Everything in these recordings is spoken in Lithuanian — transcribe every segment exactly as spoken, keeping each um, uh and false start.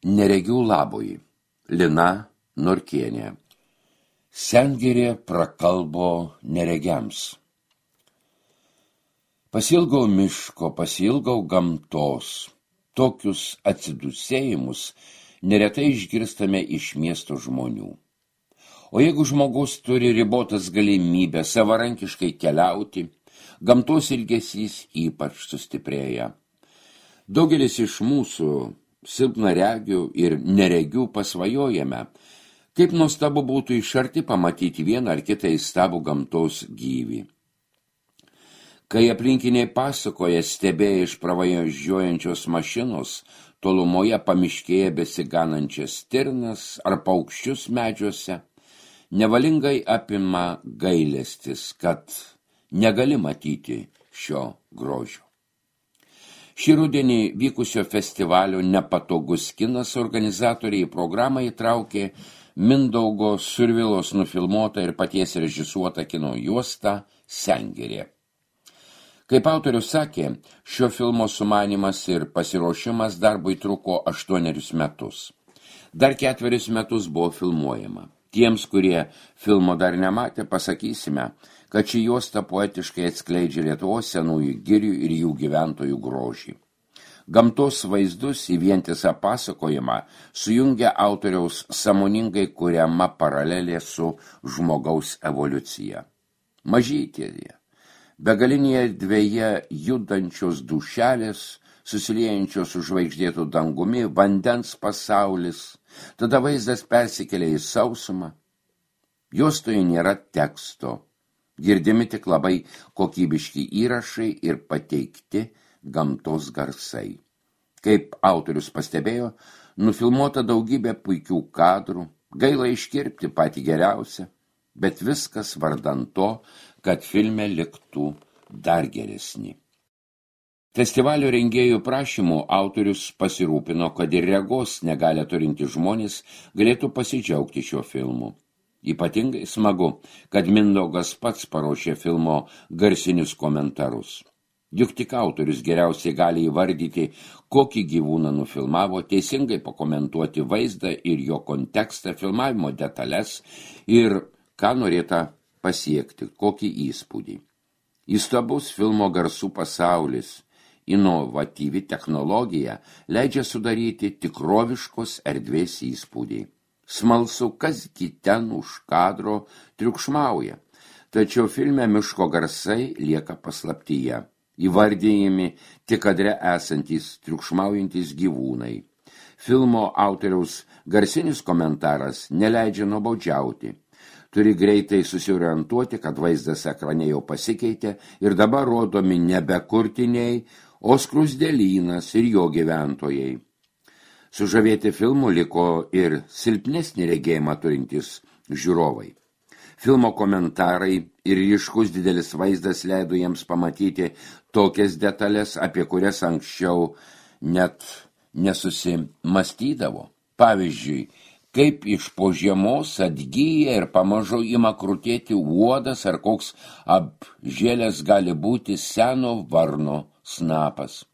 Neregių labui. Lina Norkienė. Sengirė prakalbo neregiams. Pasilgau miško, pasilgau gamtos. Tokius atsidusėjimus neretai išgirstame iš miesto žmonių. O jeigu žmogus turi ribotas galimybę savarankiškai keliauti, gamtos ilgesys ypač sustiprėja. Daugelis iš mūsų silpnaregių ir neregių pasvajojame, kaip nuostabu būtų iš arti pamatyti vieną ar kitą įstabų gamtos gyvį. Kai aplinkiniai pasakoja stebėję iš pravažiuojančios mašinos, tolumoje pamiškėje besiganančias stirnas ar paukščius medžiuose, nevalingai apima gailestis, kad negali matyti šio grožio. Šį rudenį vykusio festivalio Nepatogus kinas organizatoriai į programą įtraukė Mindaugo Survilos nufilmuotą ir paties režisuotą kino juostą Sengirė. Kaip autorius sakė, šio filmo sumanymas ir pasiruošimas darbui truko aštuonerius metus. Dar ketverius metus buvo filmuojama. Tiems, kurie filmo dar nematė, pasakysime, kad ši juosta poetiškai atskleidžia Lietuvos senųjų girių ir jų gyventojų grožį. Gamtos vaizdus į vientisą pasakojimą sujungia autoriaus sąmoningai kuriama paralelė su žmogaus evoliucija. Mažytėje, begalinėje erdvėje judančios dušelės, susiliejančios su žvaigždėtų dangumi, vandens pasaulis, tada vaizdas persikelia į sausumą. Juostoje nėra teksto, girdimi tik labai kokybiški įrašai ir pateikti gamtos garsai. Kaip autorius pastebėjo, nufilmuota daugybė puikių kadrų, gaila iškirpti patį geriausią, bet viskas vardan to, kad filme liktų dar geresni. Festivalio rengėjų prašymų autorius pasirūpino, kad ir regos negalę turinti žmonės galėtų pasidžiaugti šiuo filmu. Ypatingai smagu, kad Mindaugas pats paruošė filmo garsinius komentarus. Juk tik autorius geriausiai gali įvardyti, kokį gyvūną nufilmavo, teisingai pakomentuoti vaizdą ir jo kontekstą, filmavimo detalės ir ką norėta pasiekti, kokį įspūdį. Įstabus filmo garsų pasaulis, inovatyvi technologija leidžia sudaryti tikroviškos erdvės įspūdį. Smalsu, kasgi ten už kadro triukšmauja, tačiau filme miško garsai lieka paslaptyje. Įvardijami tik kadre esantys triukšmaujantys gyvūnai. Filmo autoriaus garsinis komentaras neleidžia nuobodžiauti. Turi greitai susiorientuoti, kad vaizdas ekrane jau pasikeitė ir dabar rodomi nebe kurtiniai, o skruzdėlynas ir jo gyventojai. Sužavėti filmų liko ir silpnesnį regėjimą turintys žiūrovai. Filmo komentarai ir ryškus didelis vaizdas leido jiems pamatyti tokias detalės, apie kurias anksčiau net nesusimastydavo. Pavyzdžiui, kaip iš po žiemos atgyja ir pamažu ima krutėti uodas ar koks apžėlęs gali būti seno varno snapas.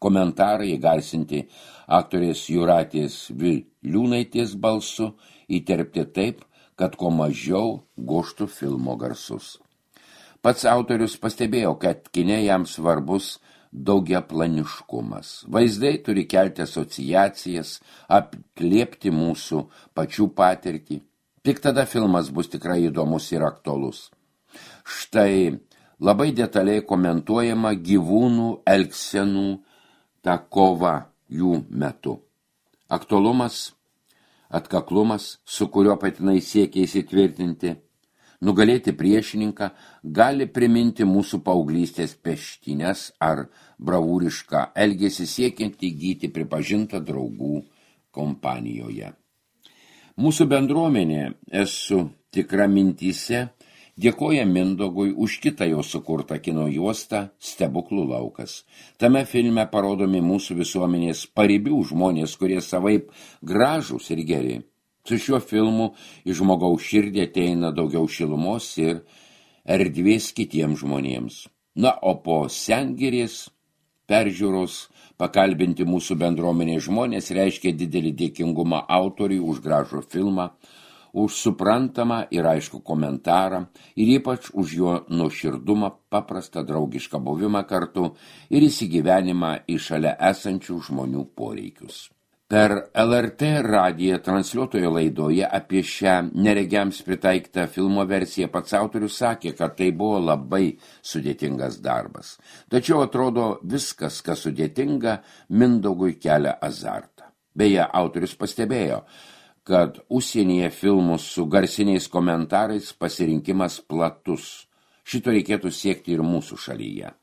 Komentarai įgarsinti aktorės Jūratės Viliūnaitės balsu įterpti taip, kad kuo mažiau goštų filmo garsus. Pats autorius pastebėjo, kad kine jam svarbus daugiaplaniškumas. Vaizdai turi kelti asociacijas, atliepti mūsų pačių patirtį. Tik tada filmas bus tikrai įdomus ir aktualus. Štai labai detaliai komentuojama gyvūnų elgsenų ta kova jų metu. Aktualumas, atkaklumas, su kuriuo patinai siekia įsitvirtinti, nugalėti priešininką, gali priminti mūsų paauglystės peštynes ar bravūrišką elgesį siekiant įgyti pripažintą draugų kompanijoje. Mūsų bendruomenė, esu tikra mintyse, dėkoja Mindaugui už kitą jo sukurtą kino juostą Stebuklų laukas. Tame filme parodomi mūsų visuomenės paribių žmonės, kurie savaip gražūs ir geri. Su šiuo filmu iš žmogaus širdį ateina daugiau šilumos ir erdvės kitiems žmonėms. Na, o po Sengirės peržiūros Pakalbinti mūsų bendruomenės žmonės reiškia didelį dėkingumą autoriui už gražų filmą, už suprantamą ir aišku komentarą ir ypač už jo nuoširdumą, paprastą draugišką buvimą kartu ir įsigyvenimą į šalia esančių žmonių poreikius. Per L R T radiją transliuotojo laidoje apie šią neregiams pritaikytą filmo versiją pats autorius sakė, kad tai buvo labai sudėtingas darbas. Tačiau atrodo viskas, kas sudėtinga, Mindaugui kelia azartą. Beje, autorius pastebėjo, kad užsienyje filmus su garsiniais komentarais pasirinkimas platus. Šito reikėtų siekti ir mūsų šalyje.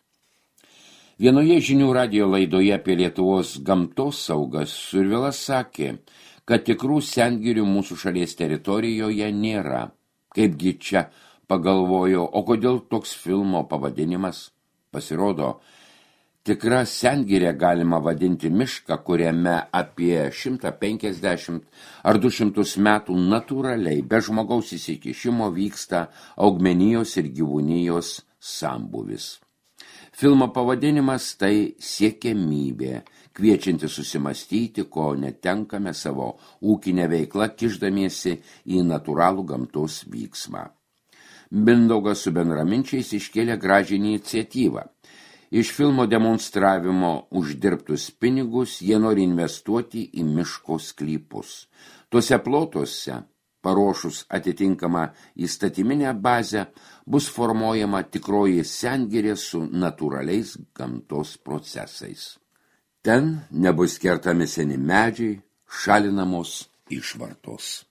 Vienoje žinių radijo laidoje apie Lietuvos gamtos saugas Survilas sakė, kad tikrų sengirių mūsų šalies teritorijoje nėra. Kaipgi čia, pagalvojo, o kodėl toks filmo pavadinimas? Pasirodo, tikra sengirė galima vadinti mišką, kuriame apie šimtą penkiasdešimt ar du šimtus metų natūraliai, be žmogaus įsikišimo vyksta augmenijos ir gyvūnijos sambūvis. Filmo pavadinimas tai siekiamybė, kviečianti susimastyti, ko netenkame savo ūkinę veiklą, kišdamiesi į natūralų gamtos vyksmą. Mindaugas su bendraminčiais iškėlė gražią iniciatyvą. Iš filmo demonstravimo uždirbtus pinigus jie nori investuoti į miško sklypus. Tuose plotuose, paruošus atitinkamą įstatyminę bazę, bus formuojama tikroji sengirė su natūraliais gamtos procesais. Ten nebus kertami seni medžiai, šalinamos išvartos.